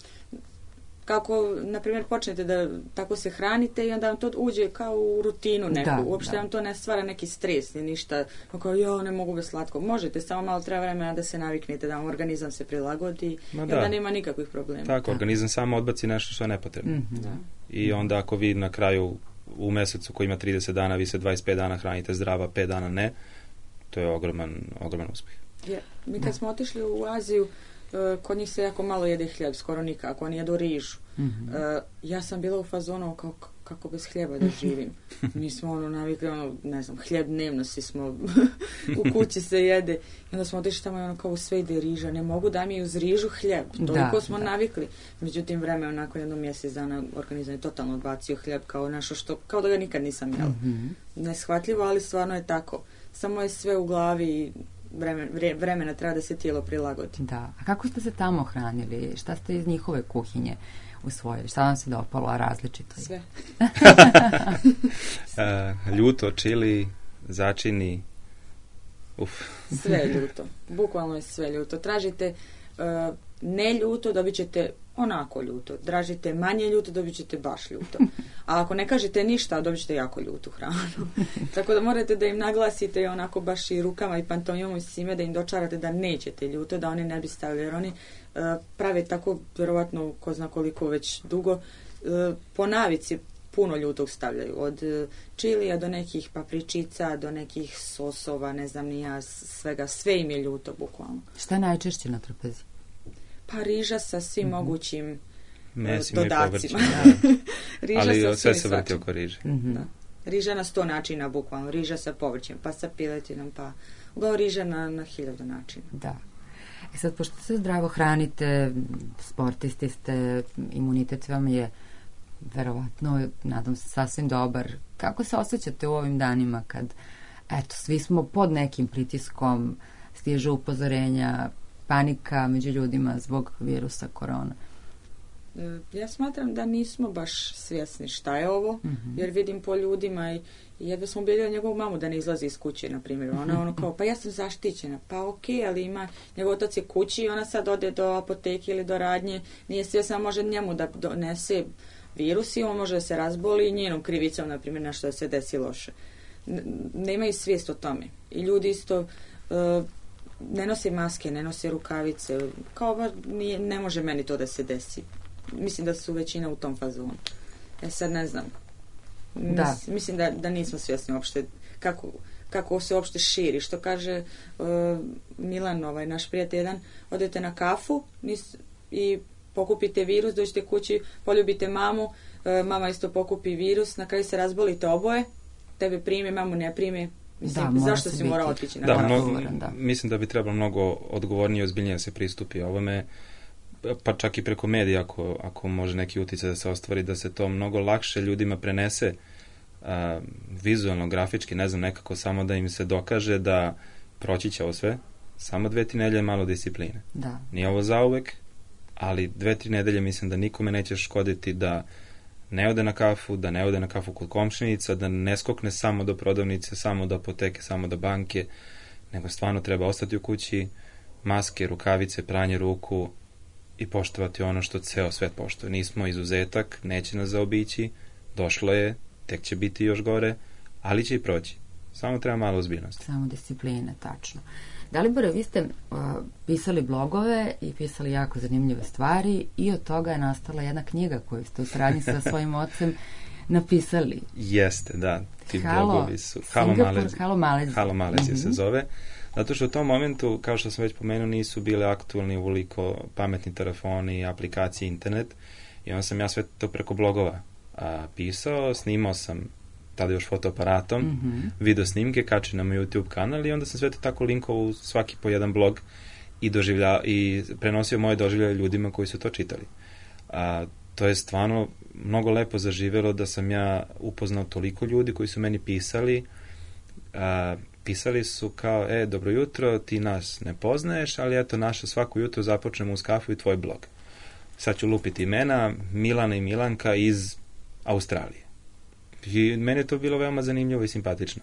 kako, na primjer, počnete da tako se hranite i onda vam to uđe kao u rutinu neku. Da, uopšte da. Vam to ne stvara neki stres, ni ništa. Kao, jo, ne mogu bez slatko. Možete, samo malo treba vremena da se naviknete, da vam organizam se prilagodi Ma i onda da. nema nikakvih problema. Tako, da. organizam samo odbaci nešto što je nepotrebno. Mm-hmm. Da. I onda ako vi na kraju u mesecu koji ima trideset dana, vi se dvadeset pet dana hranite zdrava, pet dana ne, to je ogroman, ogroman uspjeh. Je. Mi kad da. smo otišli u Aziju, kod njih se jako malo jede hljeb, skoro nikako, oni jedu rižu. Mm-hmm. Uh, ja sam bila u fazonu kao kako bez hljeba da živim. Mi smo ono navikli, ono, ne znam, hljeb dnevno svi smo u kući se jede. I onda smo otišli tamo i ono kao sve ide riža. Ne mogu da mi uz rižu hljeb. Toliko da, smo da. navikli. Međutim, vreme nakon jednom mjesec dana organizam je totalno odbacio hljeb kao nešto što, kao da ga nikad nisam jela. Mm-hmm. Neshvatljivo, ali stvarno je tako. Samo je sve u glavi i Vremen, vre, vremena treba da se tijelo prilagodi. Da. A kako ste se tamo hranili? Šta ste iz njihove kuhinje usvojili? Šta vam se dopalo, a različito? Sve. uh, ljuto, čili, začini. Uf. Sve ljuto. Bukvalno je sve ljuto. Tražite uh, ne ljuto, dobit ćete onako ljuto. Tražite manje ljuto, dobit ćete baš ljuto. A ako ne kažete ništa, dobit ćete jako ljutu hranu. Tako da morate da im naglasite i onako baš i rukama i pantomimom i svime da im dočarate da nećete ljuto, da oni ne bi stavili. Jer oni uh, prave tako, vjerovatno, ko zna koliko već dugo, uh, po navici puno ljutog stavljaju. Od uh, čilija do nekih papričica, do nekih sosova, ne znam ni ja, svega. Sve im je ljuto, bukvalno. Šta je najčešće na trpezi? Pa riža sa svim mm-hmm. mogućim mesima dodacima. Riža ali sa sve se vrti oko riže. Mm-hmm. Da. Riža na sto načina, bukvalno. Riža sa povrćem, pa sa piletinom, pa uglavnom riža na, na hiljadu načina. Da. E sad, pošto se zdravo hranite, sportisti ste, imunitet vam je verovatno, nadam se, sasvim dobar. Kako se osjećate u ovim danima kad, eto, svi smo pod nekim pritiskom, stižu upozorenja, panika među ljudima zbog virusa korona? Ja smatram da nismo baš svjesni šta je ovo, mm-hmm. jer vidim po ljudima i jedva smo ubedili njegovu mamu da ne izlazi iz kuće, na primjer. Ona ono kao, pa ja sam zaštićena. Pa okej, okay, ali ima, njegov otac je kući i ona sad ode do apoteke ili do radnje. Nije svjesna, može njemu da donese virus i on može da se razboli i njenom krivicom, na primjer, nešto da se desi loše. n- nemaju svijest o tome. I ljudi isto uh, ne nose maske, ne nose rukavice, kao ba, nije, ne može meni to da se desi. Mislim da su većina u tom fazonu. E sad ne znam. Mis, Da. Mislim da, da nismo svjesni uopšte kako, kako se uopšte širi. Što kaže uh, Milan, ovaj, naš prijatelj jedan, odete na kafu nis, i pokupite virus, dođete kući, poljubite mamu, uh, mama isto pokupi virus, na kraju se razbolite oboje, tebe prime, mamu ne prime. Mislim, Da, mora zašto se si biti- morao otići na Da, kafu? mnogo, odgovoran, da. mislim da bi trebalo mnogo odgovornije i ozbiljnije da se pristupi ovome, pa čak i preko medija ako, ako može neki utjecaj da se ostvari, da se to mnogo lakše ljudima prenese a, vizualno, grafički, ne znam, nekako samo da im se dokaže da proći će ovo sve, samo dve, tri nedelje malo discipline. Da. Nije ovo zauvek, ali dve, tri nedelje mislim da nikome neće škoditi da ne ode na kafu, da ne ode na kafu kod komšinica, da ne skokne samo do prodavnice, samo do apoteke, samo do banke, nego stvarno treba ostati u kući, maske, rukavice, pranje ruku i poštovati ono što ceo svet poštuje. Nismo izuzetak, neće nas zaobići, došlo je, tek će biti još gore, ali će i proći. Samo treba malo ozbiljnosti. Samo discipline, tačno. Dalibore, vi ste uh, pisali blogove i pisali jako zanimljive stvari i od toga je nastala jedna knjiga koju ste u saradnji sa svojim ocem napisali. Jeste, da. Ti Halo, blogovi su... Halo Singapur, Malezija. Halo Malezija. Halo Malezija se Mhm. zove. Zato što u tom momentu, kao što sam već pomenuo, nisu bile aktualni uvoliko pametni telefoni, aplikacije, internet. I onda sam ja sve to preko blogova a, pisao, snimao sam tada još fotoaparatom, Mhm. video snimke, kačio na moj YouTube kanal i onda sam sve to tako linkovao u svaki po jedan blog i, doživlja, i prenosio moje doživljaje ljudima koji su to čitali. A, to je stvarno mnogo lepo zaživelo da sam ja upoznao toliko ljudi koji su meni pisali. A, pisali su kao, e, dobro jutro, ti nas ne poznaješ, ali eto, naša svako jutro započnemo uz kafu i tvoj blog. Sad ću lupiti imena, Milana i Milanka iz Australije. I meni je to bilo veoma zanimljivo i simpatično.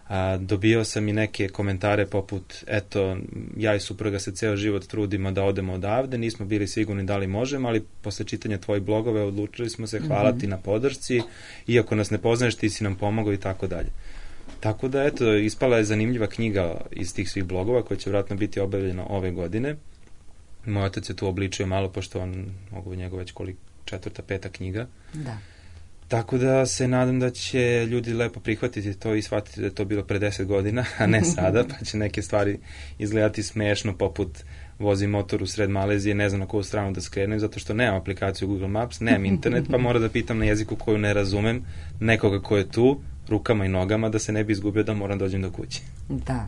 A, dobio sam i neke komentare poput, eto, ja i supruga se ceo život trudimo da odemo odavde, nismo bili sigurni da li možemo, ali posle čitanja tvojih blogove odlučili smo se, hvala Mhm. ti na podršci, iako nas ne poznaješ, ti si nam pomogao i tako dalje. Tako da, eto, ispala je zanimljiva knjiga iz tih svih blogova koja će vjerojatno biti objavljena ove godine. Moj otac je tu obličio malo, pošto on, mogu njegov već koliko, četvrta, peta knjiga. Da. Tako da se nadam da će ljudi lepo prihvatiti to i shvatiti da je to bilo pre deset godina, a ne sada, pa će neke stvari izgledati smešno, poput vozi motor u sred Malezije, ne znam na koju stranu da skrenem, zato što nemam aplikaciju Google Maps, nemam internet, pa moram da pitam na jeziku koju ne razumem nekoga ko je tu, rukama i nogama, da se ne bi izgubio da moram dođem do kuće. Da.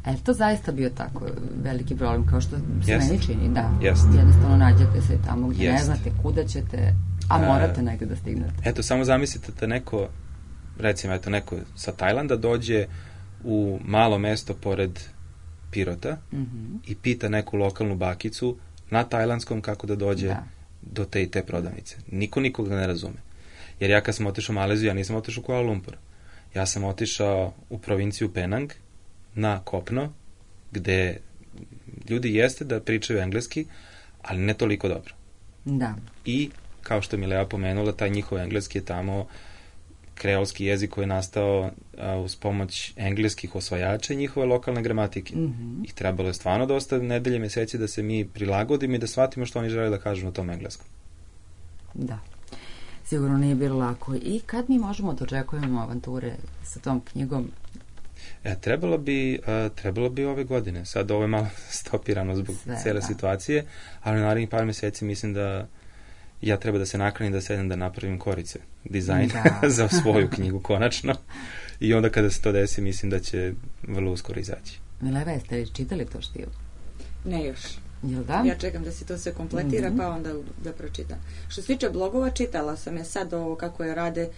A je to zaista bio tako veliki problem, kao što se Jest. meni čini, da. Jest. Jednostavno nađete se tamo gdje ne Jest. znate kuda ćete, a A, morate negdje da stignete. Eto, samo zamislite da neko, recimo, eto, neko sa Tajlanda dođe u malo mesto pored Pirota Mhm. i pita neku lokalnu bakicu na tajlandskom kako da dođe Da. do te i te prodavnice. Niko nikoga ne razume. Jer ja kad sam otišao u Maleziju, ja nisam otišao u Kuala Lumpur. Ja sam otišao u provinciju Penang na kopno, gde ljudi jeste da pričaju engleski, ali ne toliko dobro. Da. I, kao što mi Lea pomenula, taj njihov engleski je tamo kreolski jezik koji je nastao a, uz pomoć engleskih osvajača i njihove lokalne gramatike. Mhm. I trebalo je stvarno dosta nedelje, meseci da se mi prilagodimo i da shvatimo što oni žele da kažu na tom engleskom. Da. Sigurno nije bilo lako. I kad mi možemo da očekujemo avanture sa tom knjigom? E, trebalo bi, a, trebalo bi ove godine. Sad ovo je malo stopirano zbog Sve, cele da. situacije, ali u narednih par meseci mislim da ja treba da se naklonim da sedem da napravim korice, dizajn Da. za svoju knjigu konačno. I onda kada se to desi, mislim da će vrlo uskoro izaći. Mileva, jeste li čitali to štivo? Ne još. Jel da? Ja čekam da se to sve kompletira, Mhm. pa onda da pročitam. Što se tiče blogova, čitala sam je sad ovo kako je rade, e,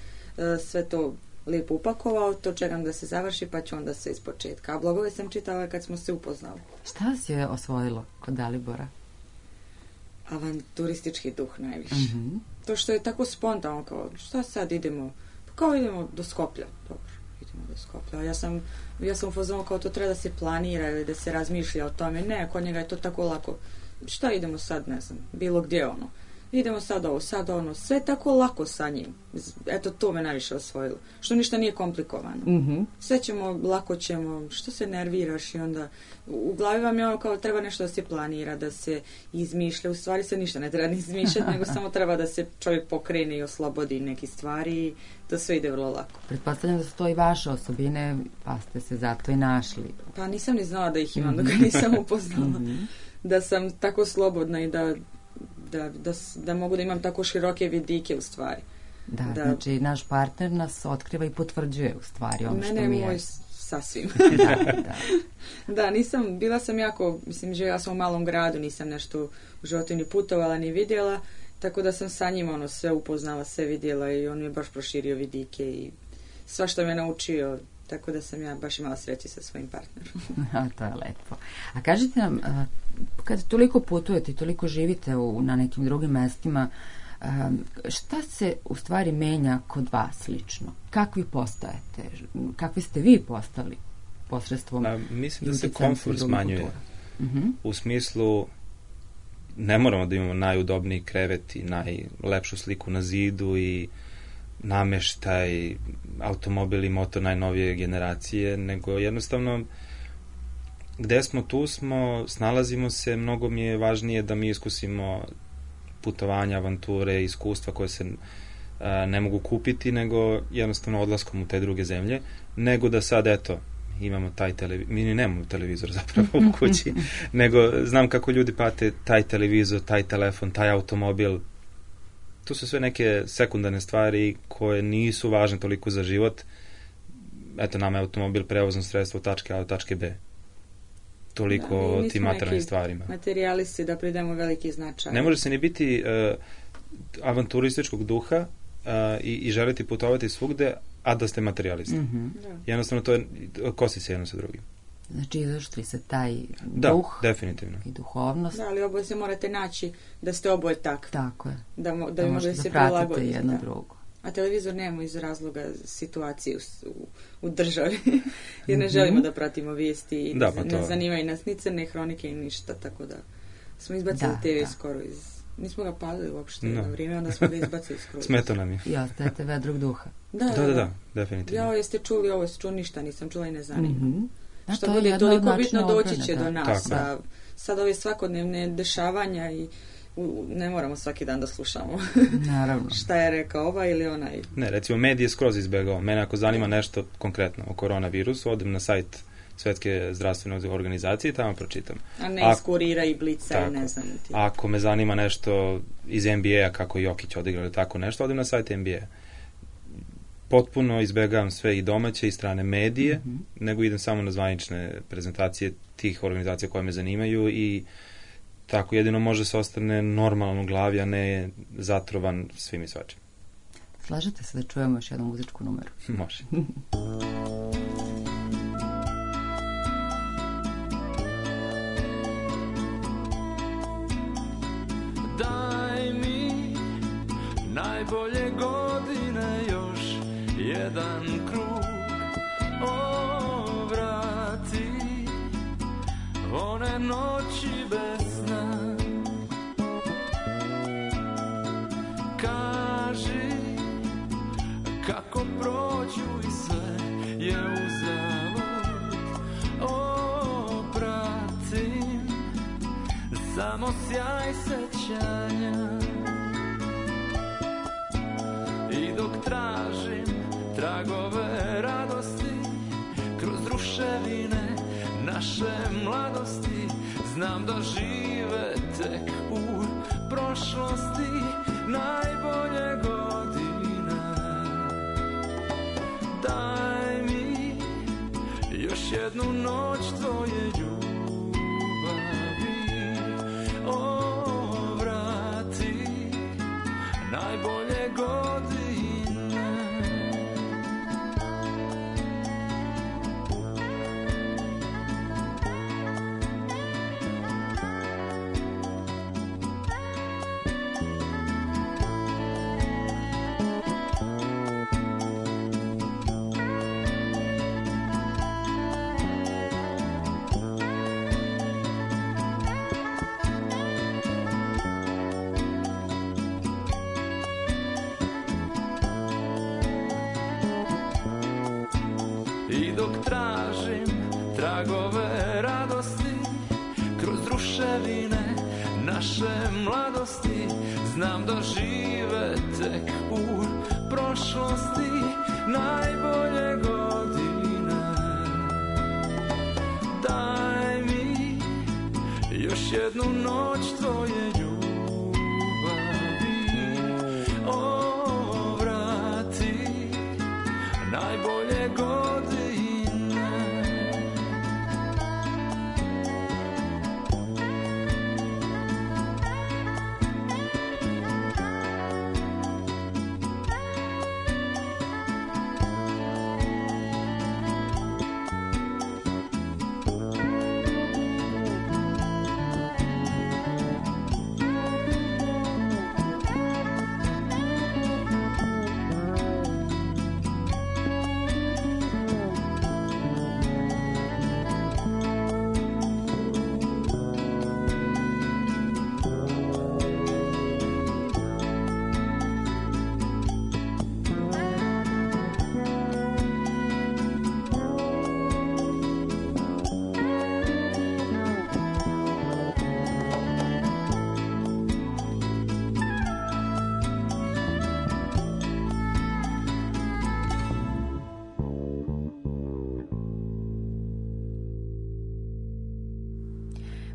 sve to lijepo upakovao, to čekam da se završi, pa ću onda sve iz početka. A blogove sam čitala kad smo se upoznali. Šta vas je osvojilo kod Dalibora? Avanturistički duh najviše. Mhm. To što je tako spontano, kao šta sad idemo? Pa kao idemo do Skoplja. Dobro, idemo do Skoplja. A ja sam, ja sam u fazonu kao to treba da se planira ili da se razmišlja o tome. Ne, kod njega je to tako lako. Šta idemo sad, ne znam, bilo gdje ono. idemo sad ovo, sad ono, sve tako lako sa njim. Eto, to me najviše osvojilo. Što ništa nije komplikovano. Mhm. Sve ćemo, lako ćemo, što se nerviraš i onda u glavi vam je ono kao treba nešto da se planira, da se izmišlja, u stvari se ništa ne treba ni izmišljati, nego samo treba da se čovjek pokrene i oslobodi neki stvari i to sve ide vrlo lako. Pretpostavljam da su to i vaše osobine, pa ste se zato i našli. Pa nisam ni znala da ih imam dok ga nisam upoznala. Da sam tako slobodna i da, da, da, s- da mogu da imam tako široke vidike u stvari. Da, Da. znači naš partner nas otkriva i potvrđuje u stvari ono što Mene mi je moj je. s- sasvim. Da, da. Da, nisam, bila sam jako, mislim, živjela sam u malom gradu, nisam nešto u životu ni putovala, ni vidjela, tako da sam sa njim ono sve upoznala, sve vidjela i on mi je baš proširio vidike i sva što me naučio, tako da sam ja baš imala sreće sa svojim partnerom. A, to je lepo. A kažite nam, a, kad toliko putujete i toliko živite u, na nekim drugim mestima, a, šta se u stvari menja kod vas lično? Kakvi postajete? Kakvi ste vi postali posredstvom? A, mislim da se uticajem komfort drugih smanjuje. kultura? Mhm. U smislu ne moramo da imamo najudobniji krevet i najlepšu sliku na zidu i nameštaj, automobil i motor najnovije generacije, nego jednostavno gde smo, tu smo, snalazimo se, mnogo mi je važnije da mi iskusimo putovanja, avanture, iskustva koje se a, ne mogu kupiti, nego jednostavno odlaskom u te druge zemlje, nego da sad, eto, imamo taj televizor, mi ni nemamo televizor zapravo u kući, nego znam kako ljudi pate taj televizor, taj telefon, taj automobil. To su sve neke sekundarne stvari koje nisu važne toliko za život. Eto, nama je automobil prevozno sredstvo od tačke A do tačke B. Toliko Da, mi o nismo tim materijalnim neki stvarima. Materijalisti da pridemo veliki značaj. Ne može se ni biti uh, avanturističkog duha uh, i, i želiti putovati svugde, a da ste materijalista. Mhm. Da. Jednostavno to je, kosi se jedno sa drugim. Znači, izašli se taj Da, duh definitivno. i duhovnost. Da, ali oboje se morate naći da ste oboje takvi. Tako je. Da, mo- da, Da bi mogli možete da se da pratite prilagodite. jedno Da. drugo. A televizor nemamo iz razloga situacije u, s- u, u državi. Jer ne želimo da pratimo vijesti i Da, ne, pa to- ne zanimaju nas ni crne hronike i ništa, tako da smo izbacili Da, te ve da. skoro iz... Nismo ga palili uopšte Da. na vrijeme, onda smo ga izbacili skoro. Smeta nam je. I ostajete vedrog duha. Da, Da, da, da, definitivno. Ja, jeste čuli ovo, jeste čuli, ništa nisam čula i ne zanima. Mhm. Da, Što to je bude jedno od toliko načina bitno doći odbrane, će da. do nas. Tako. A sad ove svakodnevne dešavanja i u- ne moramo svaki dan da slušamo Naravno. šta je rekao ovaj ili onaj. Ne, recimo, medije skroz izbegao. Mene ako zanima nešto konkretno o koronavirusu, odem na sajt Svetske zdravstvene organizacije i tamo pročitam. A ne A- iz kurira i blica i Tako. ne znam ti. Ako me zanima nešto iz N B A-a, kako je Jokić odigrao ili tako nešto, odem na sajt N B A. Potpuno izbegavam sve i domaće i strane medije, Mhm. nego idem samo na zvanične prezentacije tih organizacija koje me zanimaju i tako jedino može se ostane normalan u glavi, a ne zatrovan svim i svačim. Slažete se da čujemo još jednu muzičku numeru? Može. Daj mi najbolje godine, još jedan krug ovrati, one noći bez sna. Kaži kako prođu i sve je uzalud. Opratim samo sjaj sećanja i dok tražim tragove radosti kroz ruševine naše mladosti, znam da žive tek u prošlosti najbolje godine. Daj mi još jednu noć tvoje ljubavi, ovrati najbolje godine. ruševine naše mladosti znam da žive tek u prošlosti najbolje godine. Daj mi još jednu noć tvoje ljubavi, o, vrati najbolje godine.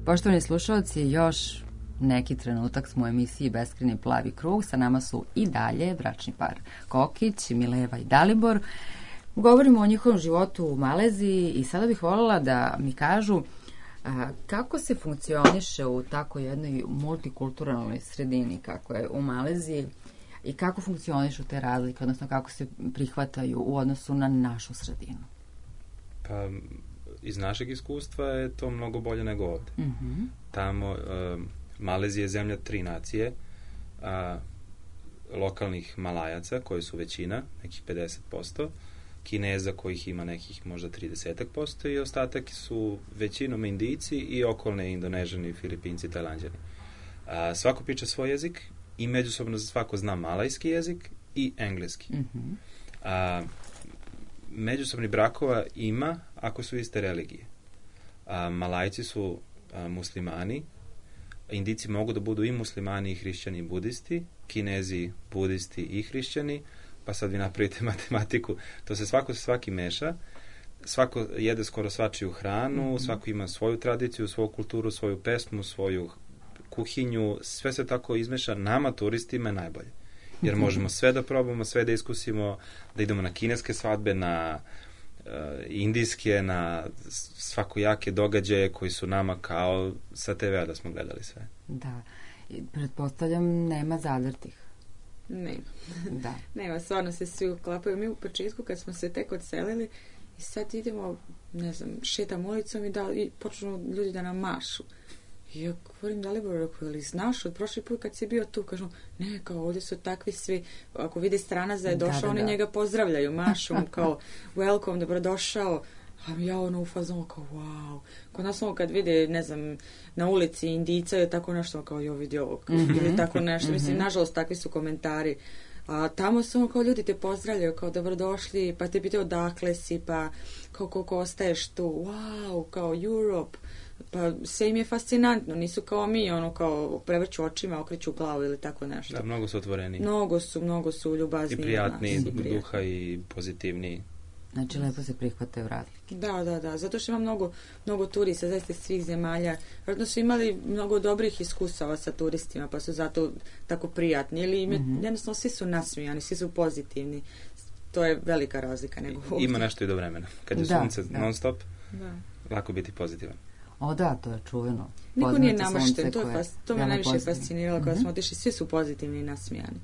Poštovani slušalci, još neki trenutak smo u emisiji Beskrajni plavi krug. Sa nama su i dalje bračni par Kokić, Mileva i Dalibor. Govorimo o njihovom životu u Maleziji i sada bih voljela da mi kažu a, kako se funkcioniše u tako jednoj multikulturalnoj sredini kako je u Maleziji i kako funkcionišu te razlike, odnosno kako se prihvataju u odnosu na našu sredinu. Pa, iz našeg iskustva je to mnogo bolje nego ovde. Mm-hmm. Tamo, uh, Malezija je zemlja tri nacije, a, lokalnih Malajaca, koji su većina, nekih pedeset posto, Kineza kojih ima nekih možda trideset posto i ostatak su većinom Indijci i okolne Indonežani, Filipinci, Tajlanđani. A, svako priča svoj jezik i međusobno svako zna malajski jezik i engleski. Mm-hmm. A, međusobni brakova ima ako su iste religije. A, Malajci su a, muslimani, Indijci mogu da budu i muslimani i hrišćani i budisti, Kinezi budisti i hrišćani, pa sad vi napravite matematiku, to se svako se svaki meša, svako jede skoro svačiju hranu, mm-hmm. svako ima svoju tradiciju, svoju kulturu, svoju pesmu, svoju kuhinju, sve se tako izmeša, nama turistima je najbolje. Jer možemo sve da probamo, sve da iskusimo, da idemo na kineske svadbe, na uh, indijske, na svakojake događaje koji su nama kao sa te ve a da smo gledali sve. Da, i pretpostavljam nema zadrtih. Nema. Da. Nema, stvarno se svi uklapaju. Mi u početku kad smo se tek odselili i sad idemo, ne znam, šetamo ulicom i, da, i počnu ljudi da nam mašu. I ja govorim Daliboru, rekao, ali znaš, od prošli put kad si bio tu, kažu, ne, kao ovdje su takvi svi, ako vidi stranac da je došao, da, da, oni da. njega pozdravljaju, mašu mu kao, welcome, dobrodošao, a ja ono u fazonu kao, wow. Kod nas ono kad vide, ne znam, na ulici Indijca je tako nešto, kao, jo, vidi ovo, mm-hmm. ili tako nešto, mislim, mm-hmm. nažalost, takvi su komentari. A tamo su ono kao ljudi te pozdravljaju, kao dobrodošli, pa te pitaju odakle si, pa kao koliko ostaješ tu, wow, kao Europe, pa sve im je fascinantno, nisu kao mi, ono kao prevrću očima, okreću glavu ili tako nešto. Da, mnogo su otvoreni. Mnogo su, mnogo su ljubazni. I prijatni, i duha i pozitivni. Znači, lepo se prihvataju razlike. Da, da, da, zato što ima mnogo, mnogo turista, zaista svih zemalja. Vjerojatno su imali mnogo dobrih iskustava sa turistima, pa su zato tako prijatni. Ili im je, mm-hmm. jednostavno, svi su nasmijani, svi su pozitivni. To je velika razlika nego ovdje. Ima nešto i do vremena. Kad je da, sunce da. non stop, da. lako biti pozitivan. O da, to je čuveno. Niko nije namršten, to, fas, to me najviše pozitivno. fasciniralo kada mm-hmm. smo otišli, svi su pozitivni i nasmijani.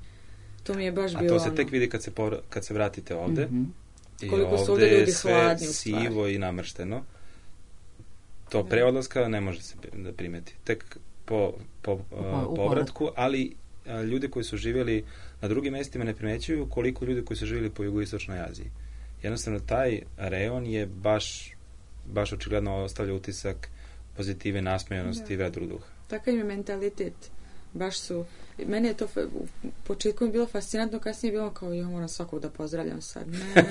To mi je baš A bilo to se ono... tek vidi kad se, povr- kad se vratite ovde. Mm-hmm. I koliko su ovde ovdje ljudi sve hladni u sivo stvari. i namršteno. To pre odlaska ne može se da primeti. Tek po, po uh, povratku, ali uh, ljudi koji su živjeli na drugim mestima ne primećuju koliko ljudi koji su živjeli po jugoistočnoj Aziji. Jednostavno, taj rejon je baš, baš očigledno ostavlja utisak pozitive, nasmejanosti i vedrog duha. Takav im je mentalitet. Baš su, meni je to u početku mi bilo fascinantno, kasnije je bilo kao, ja moram svakog da pozdravljam sad, ne,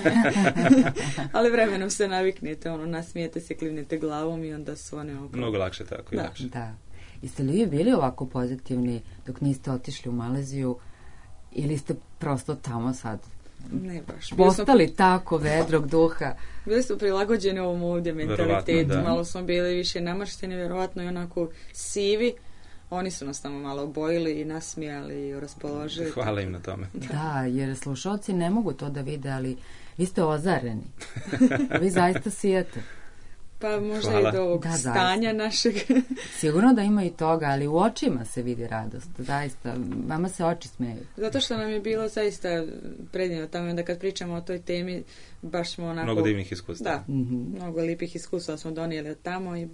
ali vremenom se naviknete, ono, nasmijete se, klivnete glavom i onda su one oko. Mnogo lakše tako i da, lakše. Da. Jeste li vi bili ovako pozitivni dok niste otišli u Maleziju ili ste prosto tamo sad Ne baš. Bili smo, postali tako vedrog duha? bili smo prilagođeni ovom ovdje Verovatno, mentalitetu. da. Malo smo bili više namršteni, vjerovatno i onako sivi. Oni su nas tamo malo obojili i nasmijali i raspoložili. Hvala im na tome. Da, jer slušalci ne mogu to da vide, ali vi ste ozareni. Vi zaista sijete. Pa možda Hvala. i do ovog Da, zaista. stanja našeg. Sigurno da ima i toga, ali u očima se vidi radost. Zaista, vama se oči smeju. Zato što nam je bilo zaista predivno tamo, onda kad pričamo o toj temi, baš smo onako... Mnogo divnih iskustava. Da, Mhm. mnogo lipih iskustva smo donijeli od tamo i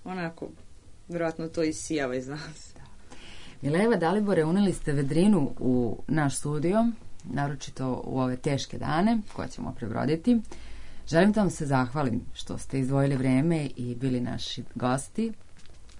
onako, vjerojatno to isijava iz nas. Mileva Dalibore, uneli ste vedrinu u naš studio, naročito u ove teške dane koje ćemo prebroditi. Želim da vam se zahvalim što ste izdvojili vreme i bili naši gosti.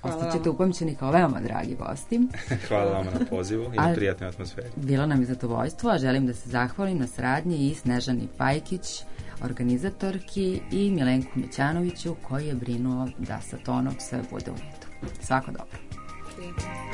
Hvala Ostaćete vam. upamćeni kao veoma dragi gosti. Hvala vama na pozivu i A- na prijatnoj atmosferi. Bilo nam je zadovoljstvo, a želim da se zahvalim na saradnji i Snežani Pajkić, organizatorki, i Milenku Mićanoviću koji je brinuo da sa tonom sve bude u redu. Svako dobro. Hvala.